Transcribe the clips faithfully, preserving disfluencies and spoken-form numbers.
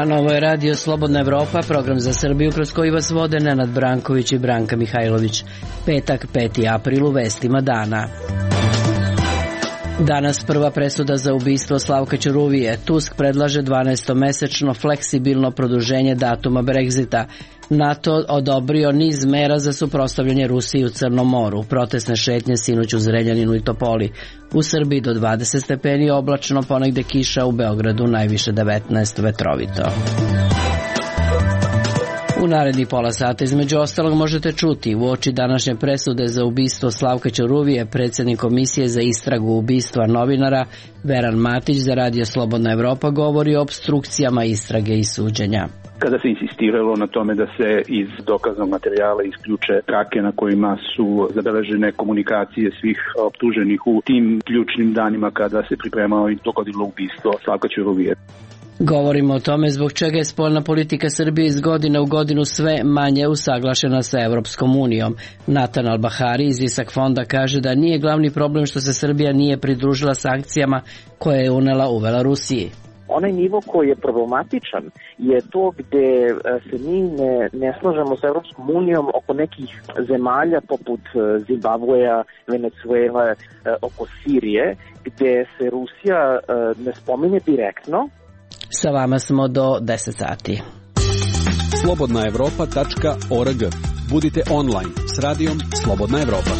dan, ovo je Radio Slobodna Evropa, program za Srbiju kroz koji vas vode Nenad Branković i Branka Mihajlović. Petak, peti april, u vestima dana. Danas prva presuda za ubistvo Slavka Ćuruvije. Tusk predlaže dvanaestomesečno fleksibilno produženje datuma Brexita. NATO odobrio niz mera za suprotstavljanje Rusiji u Crnom moru. Protestne šetnje sinoć u Zrenjaninu i Topoli. U Srbiji do dvadeset stepeni, oblačno, ponegde kiša, u Beogradu najviše devetnaest, vetrovito. U naredni pola sata između ostalog možete čuti uoči današnje presude za ubistvo Slavka Ćuruvije, predsjednik Komisije za istragu ubistva novinara Veran Matić za Radio Slobodna Evropa govori o opstrukcijama istrage i suđenja. Kada se insistiralo na tome da se iz dokaznog materijala isključe trake na kojima su zabeležene komunikacije svih optuženih u tim ključnim danima kada se pripremao i dogodilo ubistvo Slavka Ćuruvije. Govorimo o tome zbog čega je spoljna politika Srbije iz godine u godinu sve manje usaglašena sa Evropskom unijom. Natan Albahari iz Isak fonda kaže da nije glavni problem što se Srbija nije pridružila sankcijama koje je unela uvela Rusiji. Onaj nivo koji je problematičan je to gde se mi ne, ne slažemo sa Evropskom unijom oko nekih zemalja poput Zimbabveja, Venezuela, oko Sirije, gde se Rusija ne spominje direktno. Sa vama smo do deset sati. slobodna evropa tačka org. Budite online s radijom Slobodna Evropa.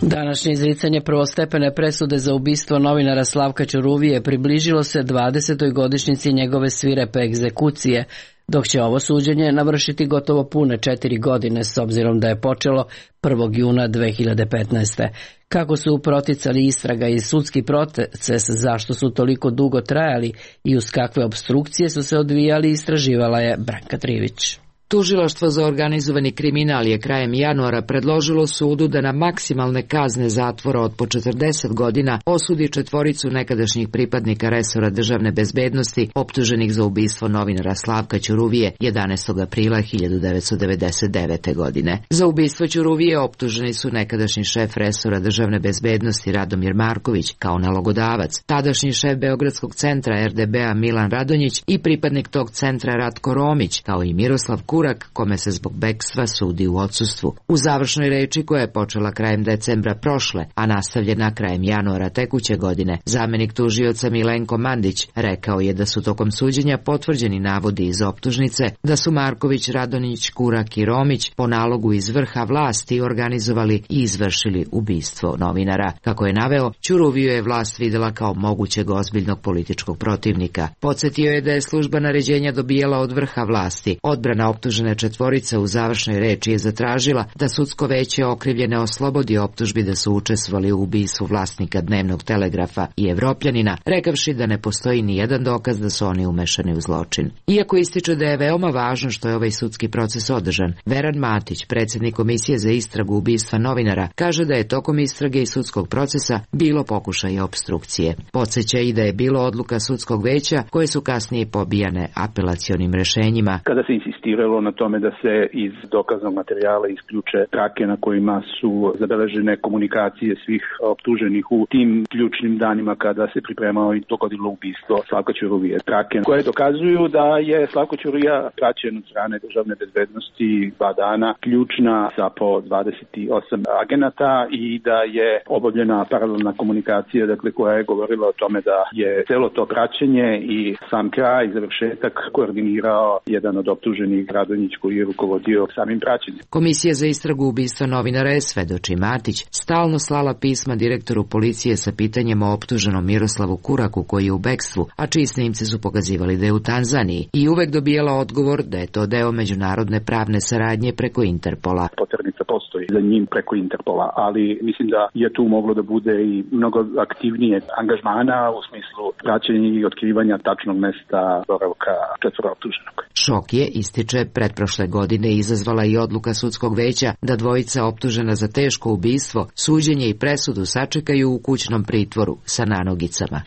Današnje izricanje prvostepene presude za ubistvo novinara Slavka Ćuruvije približilo se dvadesetoj godišnjici njegove svirepe egzekucije, dok će ovo suđenje navršiti gotovo pune četiri godine s obzirom da je počelo prvog juna dve hiljade petnaeste. Kako su proticali istraga i sudski proces, zašto su toliko dugo trajali i uz kakve opstrukcije su se odvijali, istraživala je Branka Trivić. Tužilaštvo za organizovani kriminal je krajem januara predložilo sudu da na maksimalne kazne zatvora od po četrdeset godina osudi četvoricu nekadašnjih pripadnika resora državne bezbednosti optuženih za ubistvo novinara Slavka Ćuruvije jedanaestog aprila hiljadu devetsto devedeset devete. godine. Za ubistvo Ćuruvije optuženi su nekadašnji šef resora državne bezbednosti Radomir Marković kao nalogodavac, tadašnji šef Beogradskog centra er de be a Milan Radonjić i pripadnik tog centra Ratko Romić, kao i Miroslav Kurak, kome se zbog bekstva sudi u odsustvu. U završnoj reči koja je počela krajem decembra prošle, a nastavljena krajem januara tekuće godine, zamenik tužioca Milenko Mandić rekao je da su tokom suđenja potvrđeni navodi iz optužnice da su Marković, Radonjić, Kurak i Romić po nalogu iz vrha vlasti organizovali i izvršili ubistvo novinara. Kako je naveo, Ćuruviju je vlast videla kao mogućeg ozbiljnog političkog protivnika. Podsjetio je da je služba naređenja dobijala od vrha vlasti. Odbrana optužnice Optužena četvorica u završnoj reči je zatražila da sudsko veće okrivljene oslobodi optužbi da su učestvovali u ubistvu vlasnika Dnevnog telegrafa i Evropljanina, rekavši da ne postoji ni jedan dokaz da su oni umešani u zločin. Iako ističe da je veoma važno što je ovaj sudski proces održan, Veran Matić, predsjednik Komisije za istragu ubistva novinara, kaže da je tokom istrage i sudskog procesa bilo pokušaja opstrukcije. Podsjeća i da je bilo odluka sudskog veća koje su kasnije pobijane apelacionim rešenjima. Kada se insistiralo na tome da se iz dokaznog materijala isključe trake na kojima su zabeležene komunikacije svih optuženih u tim ključnim danima kada se pripremao i dogodilo ubistvo Slavka Ćuruvije. Trake koje dokazuju da je Slavko Ćuruvija praćen od strane državne bezbednosti dva dana, ključna sa po dvadeset osam agenata i da je obavljena paralelna komunikacija, dakle koja je govorila o tome da je celo to praćenje i sam kraj i završetak koordinirao jedan od optuženih, Radonjić, koji je rukovodio samim praćenjem. Komisija za istragu ubistva novinara je, svedoči Matić, stalno slala pisma direktoru policije sa pitanjem o optuženom Miroslavu Kuraku koji je u bekstvu, a čiji snimci su pokazivali da je u Tanzaniji, i uvek dobijala odgovor da je to deo međunarodne pravne saradnje preko Interpola. Poternica postoji za njim preko Interpola, ali mislim da je tu moglo da bude i mnogo aktivnije angažmana u smislu praćenja i otkrivanja tačnog mesta boravka četvoro optuženog. Šok je, ističe pretprošle godine izazvala i odluka sudskog veća da dvojica optužena za teško ubistvo, suđenje i presudu sačekaju u kućnom pritvoru sa nanogicama.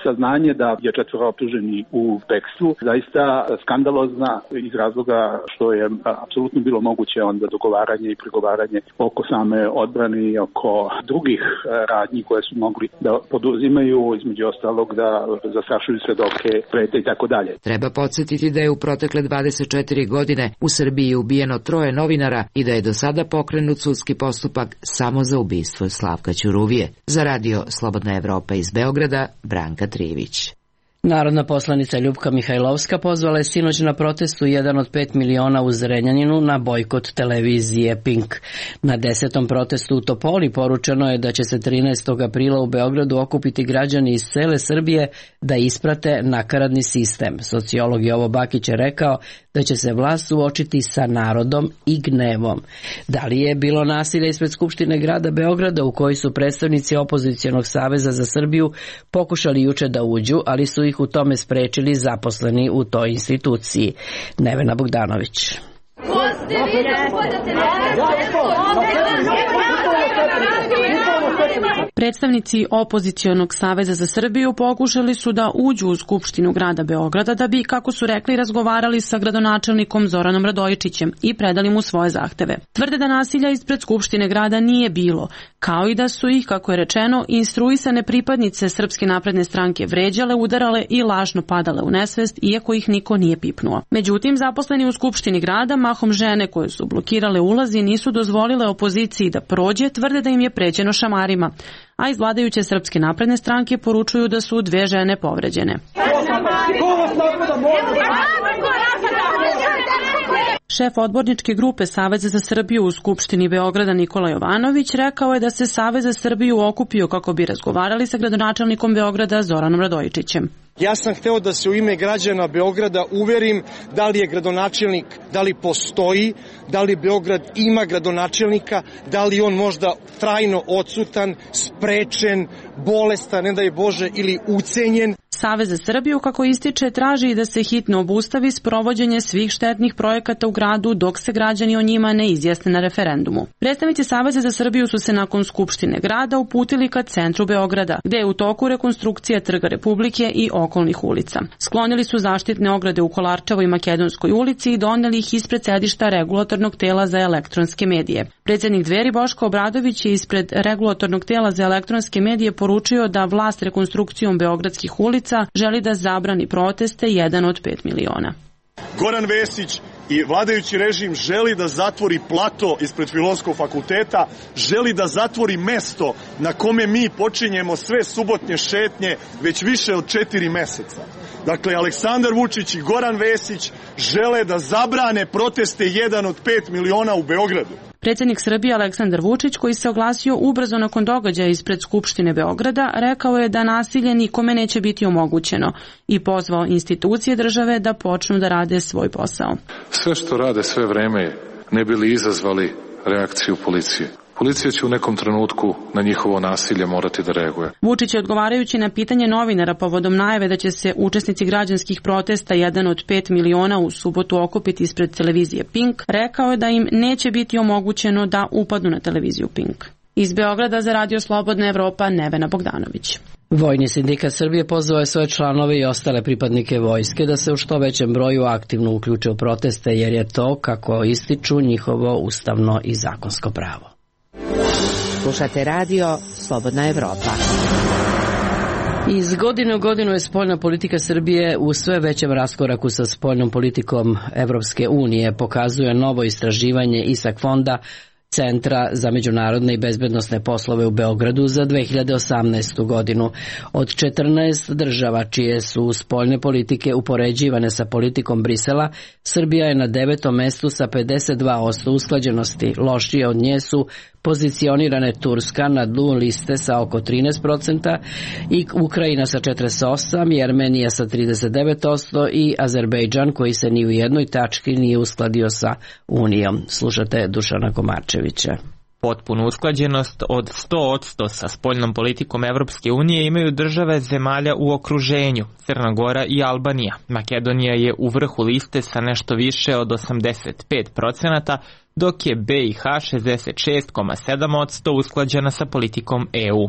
Saznanje da je četvoro optuženi u bekstvu zaista skandalozna iz razloga što je apsolutno bilo moguće onda dogovaranje i pregovaranje oko same odbrane i oko drugih radnji koje su mogli da poduzimaju, između ostalog da zastrašuju svedoke, prete i tako dalje. Treba podsjetiti da je u protekle dvadeset četiri godine u Srbiji ubijeno troje novinara i da je do sada pokrenut sudski postupak samo za ubistvo Slavka Ćuruvije. Za radio Slobodna Evropa iz Beograda, Branka Trivić. Narodna poslanica Ljupka Mihajlovska pozvala je sinoć na protestu jedan od pet miliona u Zrenjaninu na bojkot televizije Pink. Na desetom protestu u Topoli poručeno je da će se trinaestog aprila u Beogradu okupiti građani iz cele Srbije da isprate nakaradni sistem. Sociolog Jovo Bakić je rekao da će se vlast suočiti sa narodom i gnevom. Da li je bilo nasilja ispred Skupštine grada Beograda u koji su predstavnici opozicionog saveza za Srbiju pokušali juče da uđu, ali su ih u tome sprečili zaposleni u toj instituciji? Nevena Bogdanović. Predstavnici opozicionog saveza za Srbiju pokušali su da uđu u Skupštinu grada Beograda da bi, kako su rekli, razgovarali sa gradonačelnikom Zoranom Radojičićem i predali mu svoje zahteve. Tvrde da nasilja ispred Skupštine grada nije bilo, kao i da su ih, kako je rečeno, instruisane pripadnice Srpske napredne stranke vređale, udarale i lažno padale u nesvest, iako ih niko nije pipnuo. Međutim, zaposleni u Skupštini grada, mahom žene koje su blokirale ulazi, nisu dozvolile opoziciji da prođe, tvrde da im je pređeno šamarima, a iz vladajuće Srpske napredne stranke poručuju da su dve žene povređene. Šef odborničke grupe Saveza za Srbiju u Skupštini Beograda Nikola Jovanović rekao je da se Savez za Srbiju okupio kako bi razgovarali sa gradonačelnikom Beograda Zoranom Radojičićem. Ja sam hteo da se u ime građana Beograda uverim da li je gradonačelnik, da li postoji, da li Beograd ima gradonačelnika, da li on možda trajno odsutan, sprečen, bolestan, ne daj Bože, ili ucenjen. Savez za Srbiju, kako ističe, traži i da se hitno obustavi sprovođenje svih štetnih projekata u gradu dok se građani o njima ne izjasne na referendumu. Predstavnici Saveza za Srbiju su se nakon Skupštine grada uputili ka centru Beograda, gde je u toku rekonstrukcija Trga Republike i okolnih ulica. Sklonili su zaštitne ograde u Kolarčevoj i Makedonskoj ulici i doneli ih ispred sedišta Regulatornog tela za elektronske medije. Predsjednik Dveri Boško Obradović je ispred Regulatornog tela za elektronske medije poručio da vlast rekonstrukcijom beogradskih ulica želi da zabrani proteste jedan od pet miliona. Goran Vesić i vladajući režim želi da zatvori plato ispred Filozofskog fakulteta, želi da zatvori mesto na kome mi počinjemo sve subotnje šetnje već više od četiri meseca. Dakle, Aleksandar Vučić i Goran Vesić žele da zabrane proteste jedan od pet miliona u Beogradu. Predsjednik Srbije Aleksandar Vučić, koji se oglasio ubrzo nakon događaja ispred Skupštine Beograda, rekao je da nasilje nikome neće biti omogućeno i pozvao institucije države da počnu da rade svoj posao. Sve što rade sve vreme ne bi li izazvali reakciju policije. Policija će u nekom trenutku na njihovo nasilje morati da reaguje. Vučić je, odgovarajući na pitanje novinara povodom najave da će se učesnici građanskih protesta jedan od pet miliona u subotu okupiti ispred televizije Pink, rekao je da im neće biti omogućeno da upadnu na televiziju Pink. Iz Beograda za radio Slobodna Evropa, Nevena Bogdanović. Vojni sindikat Srbije pozvao je svoje članove i ostale pripadnike vojske da se u što većem broju aktivno uključe u proteste, jer je to, kako ističu, njihovo ustavno i zakonsko pravo. Slušate radio Slobodna Evropa. Iz godine u godinu je spoljna politika Srbije u sve većem raskoraku sa spoljnom politikom Evropske unije, pokazuje novo istraživanje ISAK fonda Centra za međunarodne i bezbednosne poslove u Beogradu za dve hiljade osamnaestu godinu. Od četrnaest država čije su spoljne politike upoređivane sa politikom Brisela, Srbija je na devetom mestu sa pedeset dva posto usklađenosti. Lošije od nje su pozicionirane Turska na dnu liste sa oko trinaest posto i Ukrajina sa četrdeset osam, Jermenija sa trideset devet posto i Azerbejdžan, koji se ni u jednoj tački nije uskladio sa Unijom. Slušate Dušana Komarčevića. Potpunu usklađenost od sto posto sa spoljnom politikom Evropske unije imaju države zemalja u okruženju, Crna Gora i Albanija. Makedonija je u vrhu liste sa nešto više od osamdeset pet procenata, dok je B i H šezdeset šest zarez sedam posto usklađena sa politikom E U.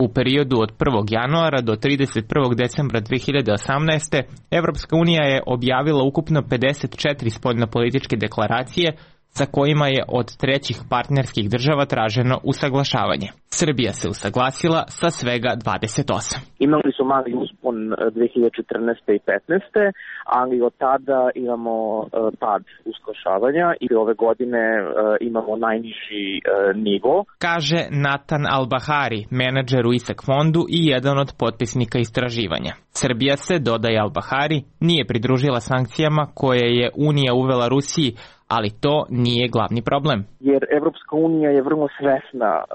U periodu od prvog januara do trideset prvog decembra dve hiljade osamnaeste. Evropska unija je objavila ukupno pedeset četiri spoljnopolitičke deklaracije sa kojima je od trećih partnerskih država traženo usaglašavanje. Srbija se usaglasila sa svega dvadeset osam. Imali su mali uspon dve hiljade četrnaeste. i petnaeste. ali od tada imamo pad usaglašavanja i ove godine imamo najniži nivo. Kaže Natan Albahari, menadžer u ISAK fondu i jedan od potpisnika istraživanja. Srbija se, dodaje Albahari, nije pridružila sankcijama koje je Unija uvela Rusiji, ali to nije glavni problem. Jer Evropska unija je vrlo svesna uh,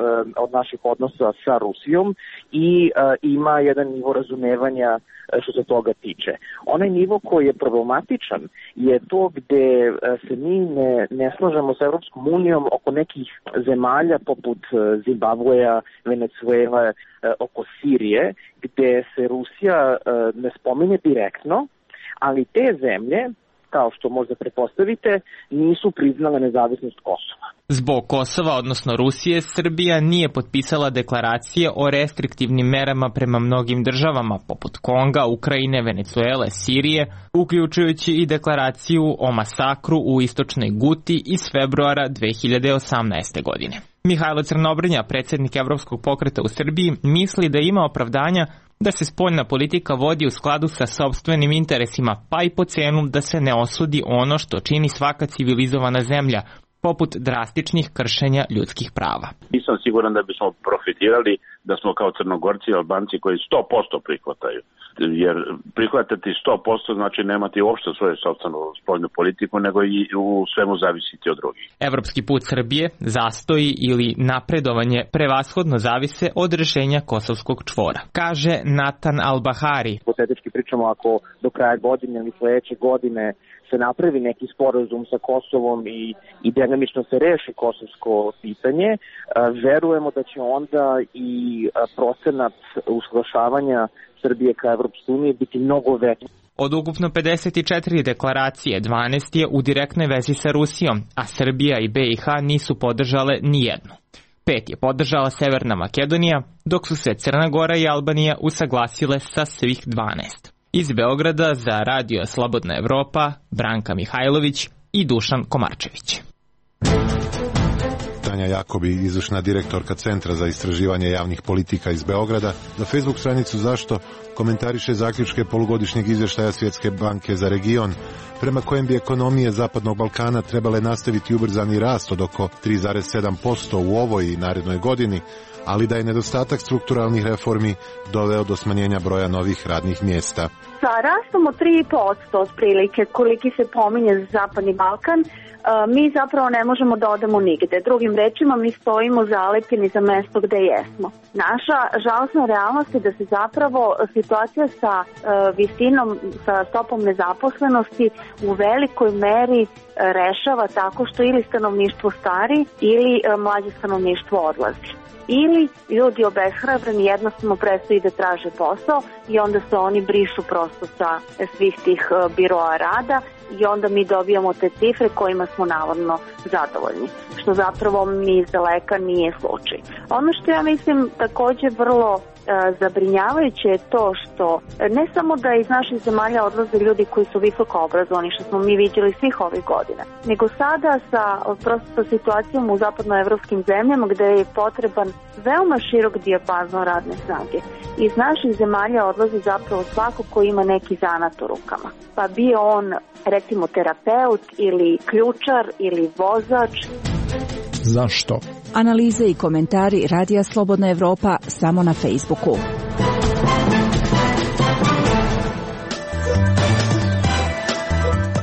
od naših odnosa sa Rusijom i uh, ima jedan nivo razumevanja uh, što se toga tiče. Onaj nivo koji je problematičan je to gde uh, se mi ne, ne slažemo sa Evropskom unijom oko nekih zemalja poput uh, Zimbabveja, Venecuele, uh, oko Sirije, gde se Rusija uh, ne spominje direktno, ali te zemlje, kao što možda pretpostavite, nisu priznale nezavisnost Kosova. Zbog Kosova, odnosno Rusije, Srbija nije potpisala deklaracije o restriktivnim merama prema mnogim državama, poput Konga, Ukrajine, Venecuele, Sirije, uključujući i deklaraciju o masakru u istočnoj Guti iz februara dve hiljade osamnaeste. godine. Mihajlo Crnobrnja, predsjednik Evropskog pokreta u Srbiji, misli da ima opravdanja da se spoljna politika vodi u skladu sa sopstvenim interesima, pa i po cenu da se ne osudi ono što čini svaka civilizovana zemlja, poput drastičnih kršenja ljudskih prava. Nisam siguran da bismo profitirali da smo kao Crnogorci i Albanci koji sto posto prihvataju. Jer prihvatati sto posto znači nemati uopšte svoju sopstvenu spoljnu politiku, nego i u svemu zavisiti od drugih. Evropski put Srbije, zastoji ili napredovanje prevashodno zavise od rešenja kosovskog čvora, kaže Natan Albahari. Hipotetički pričamo, ako do kraja godine ili sledeće godine se napravi neki sporazum sa Kosovom i, i delimično se reši kosovsko pitanje, verujemo da će onda i procenat usaglašavanja Srbije ka Evropskoj uniji biti mnogo veći. Od ukupno pedeset četiri deklaracije, dvanaest je u direktnoj vezi sa Rusijom, a Srbija i B i H nisu podržale ni jednu. Pet je podržala Severna Makedonija, dok su se Crna Gora i Albanija usaglasile sa svih dvanaest. Iz Beograda za Radio Slobodna Evropa, Branka Mihajlović i Dušan Komarčević. Tanja Jakobi, izvršna direktorka Centra za istraživanje javnih politika iz Beograda, za Facebook stranicu Zašto komentariše zaključke polugodišnjeg izvještaja Svjetske banke za region, prema kojem bi ekonomije Zapadnog Balkana trebale nastaviti ubrzani rast od oko tri zarez sedam posto u ovoj i narednoj godini, ali da je nedostatak strukturalnih reformi doveo do smanjenja broja novih radnih mjesta. Sa rastom od tri posto otprilike, koliki se pominje za Zapadni Balkan, mi zapravo ne možemo da odemo nigde. Drugim rečima, mi stojimo zalepljeni za mesto gde jesmo. Naša žalostna realnost je da se zapravo situacija sa visinom, sa stopom nezaposlenosti u velikoj meri rešava tako što ili stanovništvo stari ili mlađe stanovništvo odlazi. Ili ljudi obeshrabreni jednostavno prestaju da traže posao i onda se oni brišu prosto sa svih tih biroa rada i onda mi dobijamo te cifre kojima smo navodno zadovoljni, što zapravo ni iz daleka nije slučaj. Ono što ja mislim takođe vrlo zabrinjavajuće je to što ne samo da iz naših zemalja odlaze ljudi koji su visoko obrazovani, što smo mi vidjeli svih ovih godina, nego sada sa prosto sa situacijom u zapadnoevropskim zemljama gde je potreban veoma širok dijapazon radne snage. Iz naših zemalja odlazi zapravo svako ko ima neki zanat u rukama. Pa bio on recimo terapeut ili ključar ili vozač. Zašto? Analize i komentari Radija Slobodna Evropa samo na Facebooku.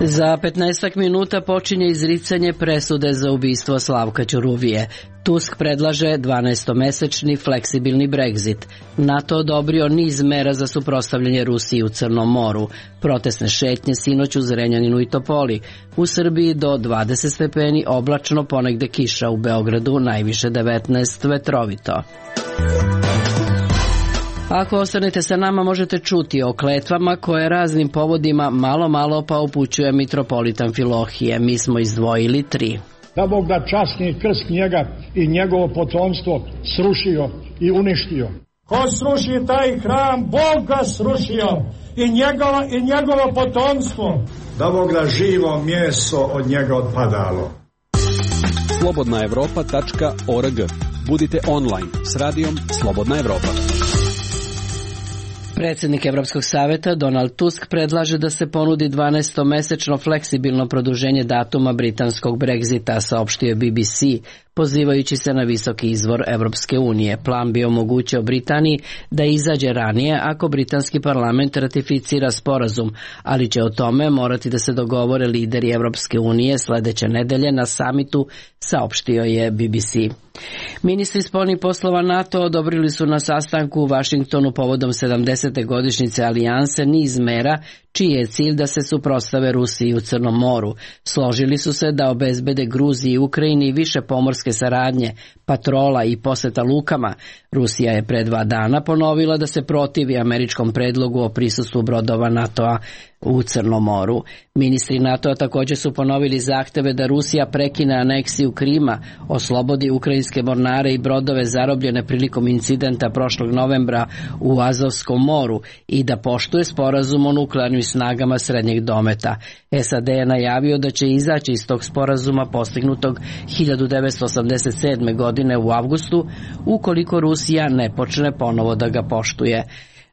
Za petnaestak minuta počinje izricanje presude za ubistvo Slavka Ćuruvije. Tusk predlaže dvanaestomesečni fleksibilni Brexit. NATO odobrio niz mera za suprotstavljanje Rusiji u Crnom moru. Protestne šetnje sinoć u Zrenjaninu i Topoli. U Srbiji do dvadeset stepeni, oblačno, ponegde kiša, u Beogradu najviše devetnaest, vetrovito. Ako ostanete sa nama, možete čuti o kletvama koje raznim povodima malo malo pa upućuje mitropolitan Filohije. Mi smo izdvojili tri. Da Bog da časni krst njega i njegovo potomstvo srušio i uništio. Ko sruši taj hram, Bog ga srušio i njegovo, i njegovo potomstvo. Da Bog da živo mjeso od njega odpadalo. slobodna evropa tačka org. Budite online s radijom Slobodna Evropa. Predsjednik Evropskog saveta Donald Tusk predlaže da se ponudi dvanaestomesečno fleksibilno produženje datuma britanskog Brexita, saopštio B B C, pozivajući se na visoki izvor Evropske unije. Plan bi omogućio Britaniji da izađe ranije ako britanski parlament ratificira sporazum, ali će o tome morati da se dogovore lideri Evropske unije sledeće nedelje na samitu, saopštio je B B C. Ministri spoljnih poslova NATO odobrili su na sastanku u Vašingtonu povodom sedamdesete godišnjice alijanse niz mera čiji je cilj da se suprotstave Rusiji u Crnom moru. Složili su se da obezbede Gruziji i Ukrajini više pomorske saradnje, patrola i poseta lukama. Rusija je pre dva dana ponovila da se protivi američkom predlogu o prisustvu brodova NATO-a u Crnom moru. Ministri NATO-a također su ponovili zahteve da Rusija prekine aneksiju Krima, oslobodi ukrajinske mornare i brodove zarobljene prilikom incidenta prošlog novembra u Azovskom moru i da poštuje sporazum o nuklearnim snagama srednjeg dometa. S A D je najavio da će izaći iz tog sporazuma postignutog hiljadu devetsto osamdeset sedme. godine u avgustu, ukoliko Rusija ne počne ponovo da ga poštuje.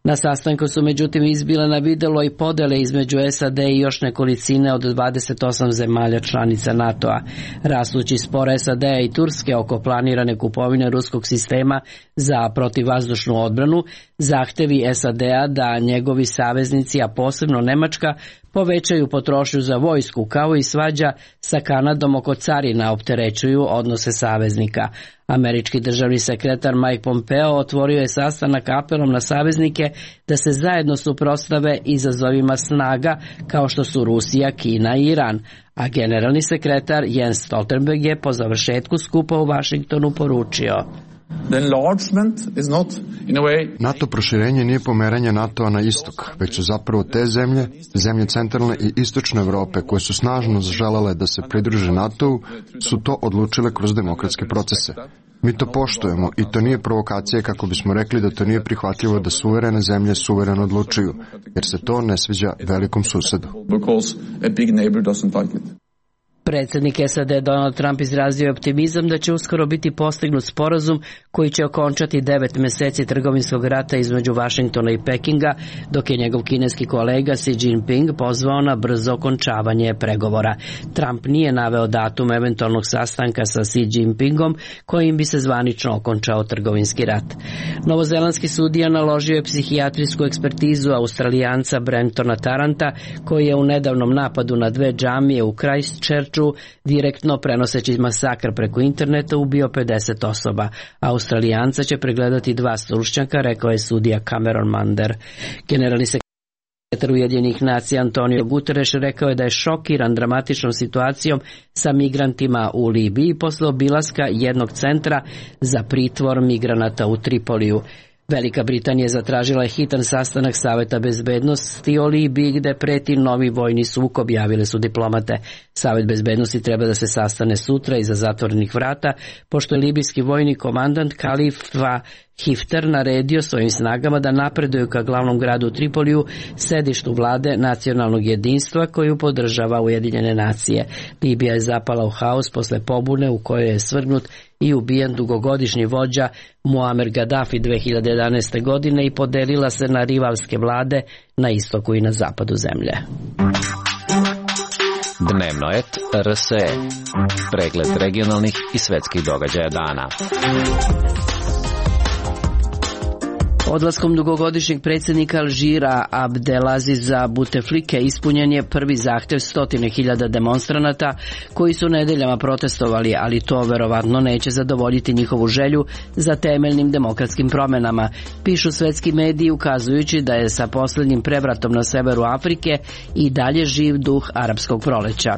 Na sastanku su međutim izbile na videlo i podele između S A D i još nekolicine od dvadeset osam zemalja članica NATO-a. Rastući spor S A D i Turske oko planirane kupovine ruskog sistema za protivvazdušnu odbranu, zahtevi S A D-a da njegovi saveznici, a posebno Nemačka, povećaju potrošnju za vojsku, kao i svađa sa Kanadom oko carina opterećuju odnose saveznika. Američki državni sekretar Mike Pompeo otvorio je sastanak apelom na saveznike da se zajedno suprotstave izazovima snaga kao što su Rusija, Kina i Iran, a generalni sekretar Jens Stoltenberg je po završetku skupa u Vašingtonu poručio: NATO proširenje nije pomeranje NATO-a na istok, već su zapravo te zemlje, zemlje centralne i istočne Evrope koje su snažno želele da se pridruže NATO-u, su to odlučile kroz demokratske procese. Mi to poštujemo i to nije provokacija kako bismo rekli da to nije prihvatljivo da suverene zemlje suvereno odlučuju, jer se to ne sviđa velikom susedu. Predsjednik S A D Donald Trump izrazio optimizam da će uskoro biti postignut sporazum koji će okončati devet meseci trgovinskog rata između Vašingtona i Pekinga, dok je njegov kineski kolega Xi Jinping pozvao na brzo okončavanje pregovora. Trump nije naveo datum eventualnog sastanka sa Xi Jinpingom kojim bi se zvanično okončao trgovinski rat. Novozelandski sudija naložio je psihijatrijsku ekspertizu Australijanca Brentona Taranta, koji je u nedavnom napadu na dve džamije u Christchurchu direktno prenoseći masakr preko interneta ubio pedeset osoba. Australijanca će pregledati dva stručnjaka, rekao je sudija Cameron Mander. Generalni sekretar Ujedinjenih nacija Antonio Guterres rekao je da je šokiran dramatičnom situacijom sa migrantima u Libiji posle obilaska jednog centra za pritvor migranata u Tripoliju. Velika Britanija je zatražila hitan sastanak Saveta bezbednosti o Libiji gde preti novi vojni sukob, javile su diplomate. Savet bezbednosti treba da se sastane sutra iza zatvorenih vrata, pošto je libijski vojni komandant Khalifa Hifter naredio svojim snagama da napreduju ka glavnom gradu Tripoliju, sedištu vlade nacionalnog jedinstva koju podržava Ujedinjene nacije. Libija je zapala u haos posle pobune u kojoj je svrgnut i ubijen dugogodišnji vođa Muammar Gaddafi dve hiljade jedanaeste. godine i podelila se na rivalske vlade na istoku i na zapadu zemlje. Dnevno et R S E. Pregled regionalnih i svetskih događaja dana. Odlaskom dugogodišnjeg predsjednika Alžira Abdelaziza Buteflike ispunjen je prvi zahtev stotine hiljada demonstranata koji su nedeljama protestovali, ali to verovatno neće zadovoljiti njihovu želju za temeljnim demokratskim promenama, pišu svetski mediji ukazujući da je sa posljednjim prevratom na severu Afrike i dalje živ duh arapskog proleća.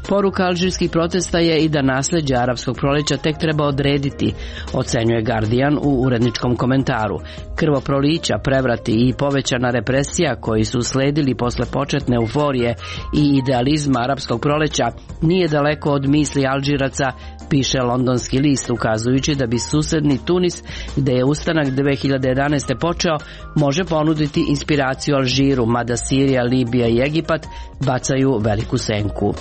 Poruka alžirskih protesta je i da nasljeđe arapskog proleća tek treba odrediti, ocenjuje Guardian u uredničkom komentaru. Krvoprolića, prevrati i povećana represija koji su usledili posle početne euforije i idealizma arapskog proleća nije daleko od misli Alžiraca, piše londonski list, ukazujući da bi susedni Tunis, gde je ustanak dve hiljade jedanaeste. počeo, može ponuditi inspiraciju Alžiru, mada Sirija, Libija i Egipat bacaju veliku senku.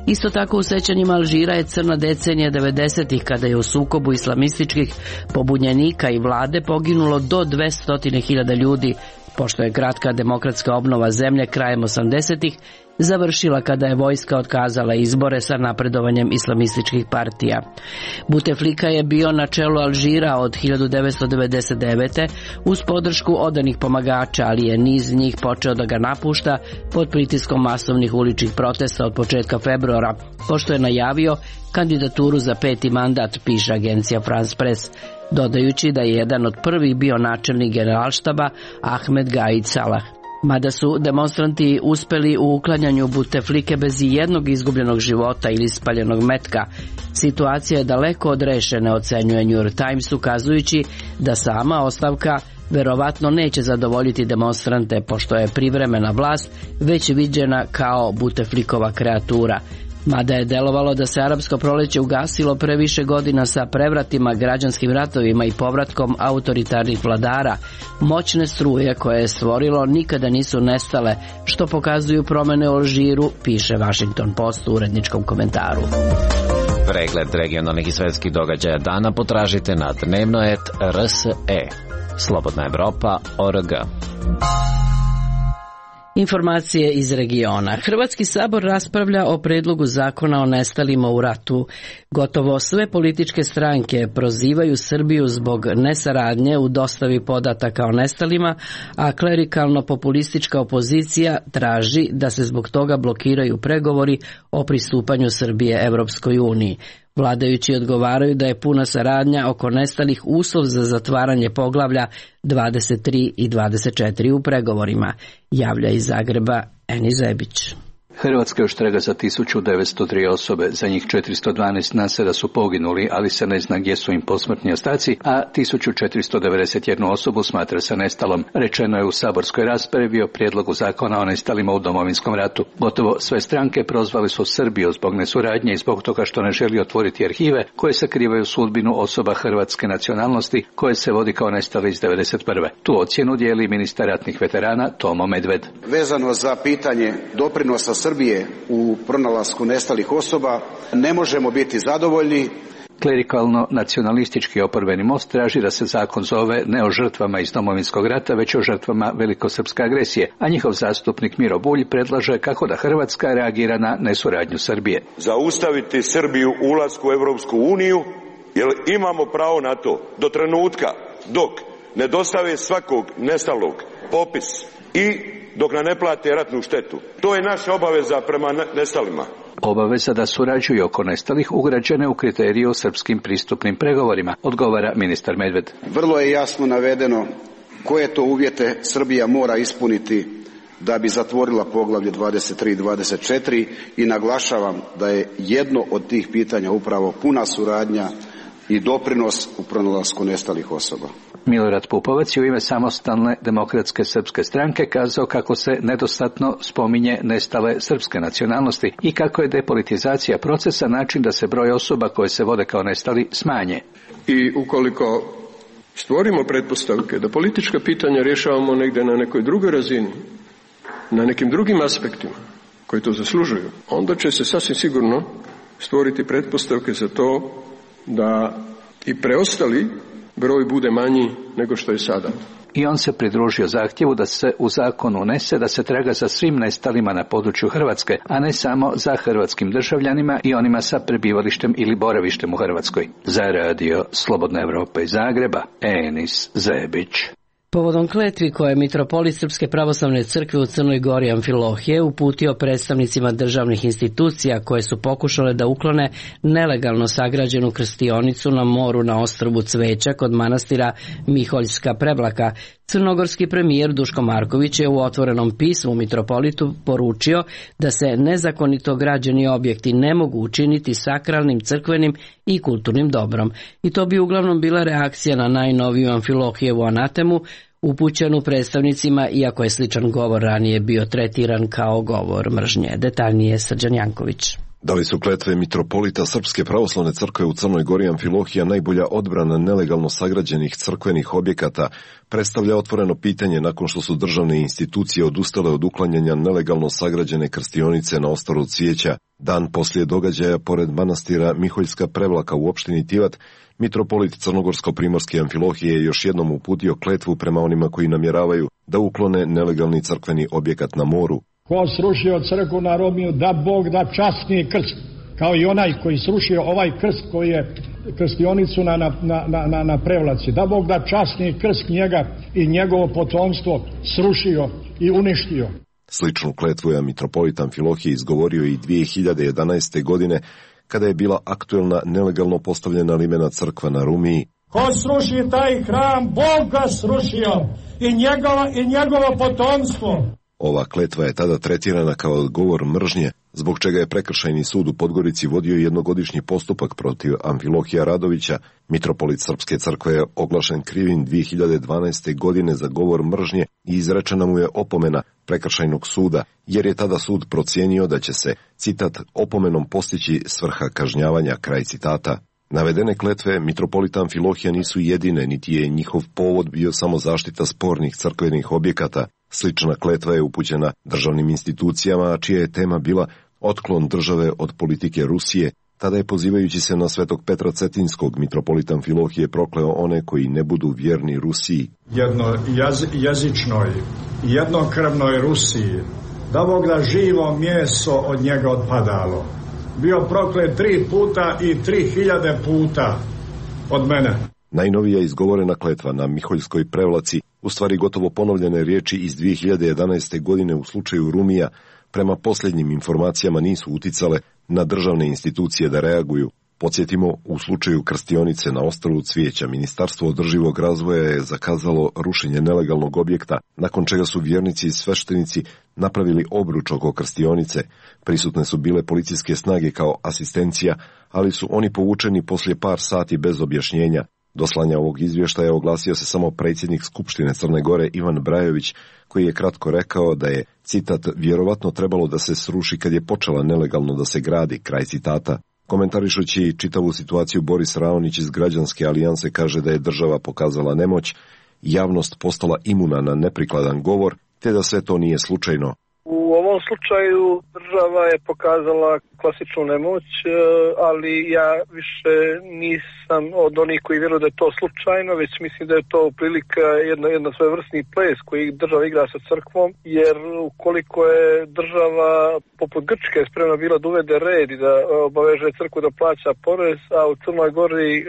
Isto tako u sećanjima Alžira je crna decenija devedesetih, kada je u sukobu islamističkih pobunjenika i vlade poginulo do dvesta hiljada ljudi, pošto je kratka demokratska obnova zemlje krajem osamdesetih završila kada je vojska otkazala izbore sa napredovanjem islamističkih partija. Buteflika je bio na čelu Alžira od hiljadu devetsto devedeset devete. uz podršku odanih pomagača, ali je niz njih počeo da ga napušta pod pritiskom masovnih uličnih protesta od početka februara, pošto je najavio kandidaturu za peti mandat, piše agencija France Press, dodajući da je jedan od prvih bio načelnik generalštaba Ahmed Gaid Salah. Mada su demonstranti uspeli u uklanjanju Buteflike bez jednog izgubljenog života ili spaljenog metka, situacija je daleko od rešene, ocenjuje New York Times, ukazujući da sama ostavka verovatno neće zadovoljiti demonstrante, pošto je privremena vlast već viđena kao Buteflikova kreatura. Mada je delovalo da se arapsko proleće ugasilo pre više godina sa prevratima, građanskim ratovima i povratkom autoritarnih vladara, moćne struje koje je stvorilo nikada nisu nestale, što pokazuju promene u Alžiru, piše Washington Post u uredničkom komentaru. Pregled regionalnih i svetskih događaja dana potražite na dnevno et er es e. Slobodna Evropa точка org. Informacije iz regiona. Hrvatski sabor raspravlja o predlogu zakona o nestalima u ratu. Gotovo sve političke stranke prozivaju Srbiju zbog nesaradnje u dostavi podataka o nestalima, a klerikalno-populistička opozicija traži da se zbog toga blokiraju pregovori o pristupanju Srbije Evropskoj uniji. Vladajući odgovaraju da je puna saradnja oko nestalih uslov za zatvaranje poglavlja dvadeset tri i dvadeset četiri u pregovorima, javlja iz Zagreba Eni Zebić. Hrvatska još trega za tisuću devetsto tri osobe, za njih četiristo dvanaest nase da su poginuli, ali se ne zna gdje su im posmrtni ostaci, a tisuću četiristo devedeset jednu osobu smatra se nestalom. Rečeno je u saborskoj raspravi o prijedlogu zakona o nestalima u Domovinskom ratu. Gotovo sve stranke prozvali su Srbiju zbog nesuradnje i zbog toga što ne želi otvoriti arhive koje sakrivaju sudbinu osoba hrvatske nacionalnosti koje se vodi kao nestali iz devedeset prve. Tu ocjenu dijeli ministar ratnih veterana Tomo Medved. Vezano za pitanje doprinosa Srbije u pronalasku nestalih osoba, ne možemo biti zadovoljni. Klerikalno-nacionalistički oporbeni most traži da se zakon zove ne o žrtvama iz Domovinskog rata, već o žrtvama velikosrpske agresije, a njihov zastupnik Miro Bulj predlaže kako da Hrvatska reagira na nesuradnju Srbije. Zaustaviti Srbiju u ulasku u Evropsku uniju, jer imamo pravo na to do trenutka dok ne dostave svakog nestalog popis i dok nam ne plate ratnu štetu. To je naša obaveza prema nestalima. Obaveza da surađuju oko nestalih ugrađene u kriteriju o srpskim pristupnim pregovorima, odgovara ministar Medved. Vrlo je jasno navedeno koje to uvjete Srbija mora ispuniti da bi zatvorila poglavlje dvadeset tri i dvadeset četiri i naglašavam da je jedno od tih pitanja upravo puna suradnja i doprinos u pronalasku nestalih osoba. Milorad Pupovac je u ime Samostalne demokratske srpske stranke kazao kako se nedostatno spominje nestale srpske nacionalnosti i kako je depolitizacija procesa način da se broj osoba koje se vode kao nestali smanje. I ukoliko stvorimo pretpostavke da politička pitanja rješavamo negdje na nekoj drugoj razini, na nekim drugim aspektima koji to zaslužuju, onda će se sasvim sigurno stvoriti pretpostavke za to da i preostali broj bude manji nego što je sada. I on se pridružio zahtjevu da se u zakon unese da se traga za svim nestalima na području Hrvatske, a ne samo za hrvatskim državljanima i onima sa prebivalištem ili boravištem u Hrvatskoj. Za radio Slobodna Evropa iz Zagreba, Enis Zebić. Povodom kletvi koje je mitropolit Srpske pravoslavne crkve u Crnoj Gori Amfilohije uputio predstavnicima državnih institucija koje su pokušale da uklone nelegalno sagrađenu krstionicu na moru na ostrvu Cveća kod manastira Miholjska Prevlaka, crnogorski premijer Duško Marković je u otvorenom pismu mitropolitu poručio da se nezakonito građeni objekti ne mogu učiniti sakralnim, crkvenim i kulturnim dobrom. I to bi uglavnom bila reakcija na najnoviju Amfilohijevu anatemu upućenu predstavnicima, iako je sličan govor ranije bio tretiran kao govor mržnje. Detaljnije Srđan Janković. Da li su kletve mitropolita Srpske pravoslavne crkve u Crnoj Gori Amfilohija najbolja odbrana nelegalno sagrađenih crkvenih objekata, predstavlja otvoreno pitanje nakon što su državne institucije odustale od uklanjanja nelegalno sagrađene krstionice na ostrvu Cvijeća. Dan poslije događaja pored manastira Miholjska Prevlaka u opštini Tivat, mitropolit Crnogorsko-primorske Amfilohije je još jednom uputio kletvu prema onima koji namjeravaju da uklone nelegalni crkveni objekat na moru. Ko srušio crkvu na Romiju, da Bog da časni krst, kao i onaj koji srušio ovaj krst koji je krstionicu na, na, na, na, na Prevlaci, da Bog da časni krst njega i njegovo potomstvo srušio i uništio. Sličnu kletvu je mitropolit Amfilohije izgovorio i dvije hiljade jedanaeste. godine, kada je bila aktuelna nelegalno postavljena limena crkva na Rumiji. Ko sruši taj hram, Bog ga srušio i, njegova, i njegovo potomstvo. Ova kletva je tada tretirana kao govor mržnje, zbog čega je prekršajni sud u Podgorici vodio jednogodišnji postupak protiv Amfilohija Radovića. Mitropolit Srpske crkve je oglašen krivim dvije hiljade dvanaeste. godine za govor mržnje i izrečena mu je opomena prekršajnog suda, jer je tada sud procijenio da će se, citat, opomenom postići svrha kažnjavanja, kraj citata. Navedene kletve mitropolita Amfilohija nisu jedine, niti je njihov povod bio samo zaštita spornih crkvenih objekata. Slična kletva je upućena državnim institucijama, a čija je tema bila otklon države od politike Rusije. Tada je, pozivajući se na Svetog Petra Cetinskog, mitropolit Amfilohije prokleo one koji ne budu vjerni Rusiji. Jedno jaz, jezičnoj, jednokrvnoj Rusiji, da Bog da živo meso od njega odpadalo. Bio proklet tri puta i tri hiljade puta od mene. Najnovija izgovorena kletva na Miholjskoj Prevlaci, u stvari gotovo ponovljene riječi iz dvije hiljade jedanaeste. godine u slučaju Rumija, prema posljednjim informacijama nisu uticale na državne institucije da reaguju. Podsjetimo, u slučaju krstionice na ostrvu Cvijeća, Ministarstvo održivog razvoja je zakazalo rušenje nelegalnog objekta, nakon čega su vjernici i sveštenici napravili obruč oko krstionice. Prisutne su bile policijske snage kao asistencija, ali su oni povučeni poslije par sati bez objašnjenja. Do slanja ovog izvještaja oglasio se samo predsjednik Skupštine Crne Gore Ivan Brajović, koji je kratko rekao da je, citat, vjerovatno trebalo da se sruši kad je počela nelegalno da se gradi, kraj citata. Komentarišući čitavu situaciju, Boris Raonić iz Građanske alijanse kaže da je država pokazala nemoć, javnost postala imuna na neprikladan govor, te da sve to nije slučajno. U ovom slučaju država je pokazala klasičnu nemoć, ali ja više nisam od onih koji vjeruju da je to slučajno, već mislim da je to prilika jedna, jedna svojevrsni ples koji država igra sa crkvom, jer ukoliko je država poput Grčke spremna bila da uvede red i da obaveže crkvu da plaća porez, a u Crnoj Gori e,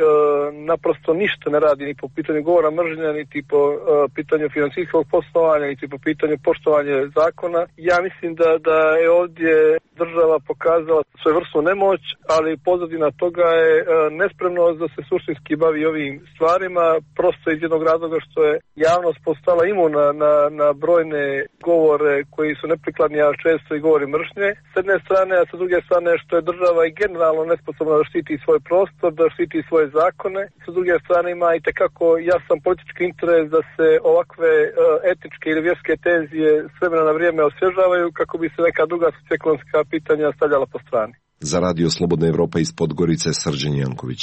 naprosto ništa ne radi ni po pitanju govora mržnja, niti po e, pitanju financijskog poslovanja, niti po pitanju poštovanja zakona, ja mislim da, da je ovdje država pokazala svojevrsnu nemoć, ali pozadina toga je e, nespremnost da se suštinski bavi ovim stvarima, prosto iz jednog razloga što je javnost postala imuna na, na brojne govore koji su neprikladni, a često i govori mržnje. S jedne strane, a sa druge strane što je država i generalno nesposobna da štiti svoj prostor, da štiti svoje zakone. Sa druge strane ima i tekako jasan politički interes da se ovakve e, etičke ili vjerske tenzije s vremena na vrijeme osvježavaju kako bi se neka druga socioekonomska pitanja stavljala po strani. Za Radio Slobodna Evropa iz Podgorice, Srđan Janković.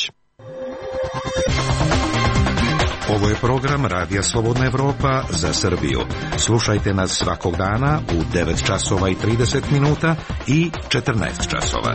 Ovo je program Radija Slobodna Evropa za Srbiju. Slušajte nas svakog dana u devet časova i trideset minuta i četrnaest časova.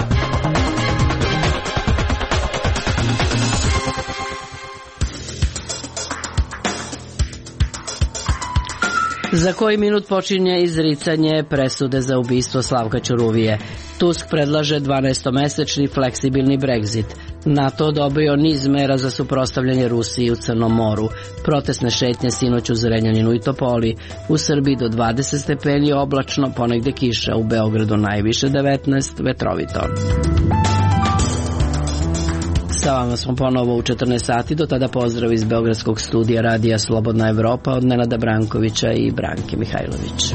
Za koji minut počinje izricanje presude za ubistvo Slavka Ćuruvije. Tusk predlaže dvanaestomesečni fleksibilni Brexit. NATO odobrio niz mera za suprotstavljanje Rusiji u Crnom moru. Protestne šetnje sinoć u Zrenjaninu i Topoli. U Srbiji do dvadeset stepeni oblačno, ponegde kiša. U Beogradu najviše devetnaest, vetrovito. Sa vama smo ponovo u četrnaest sati, do tada pozdrav iz Beogradskog studija radija Slobodna Evropa od Nenada Brankovića i Branke Mihajlović.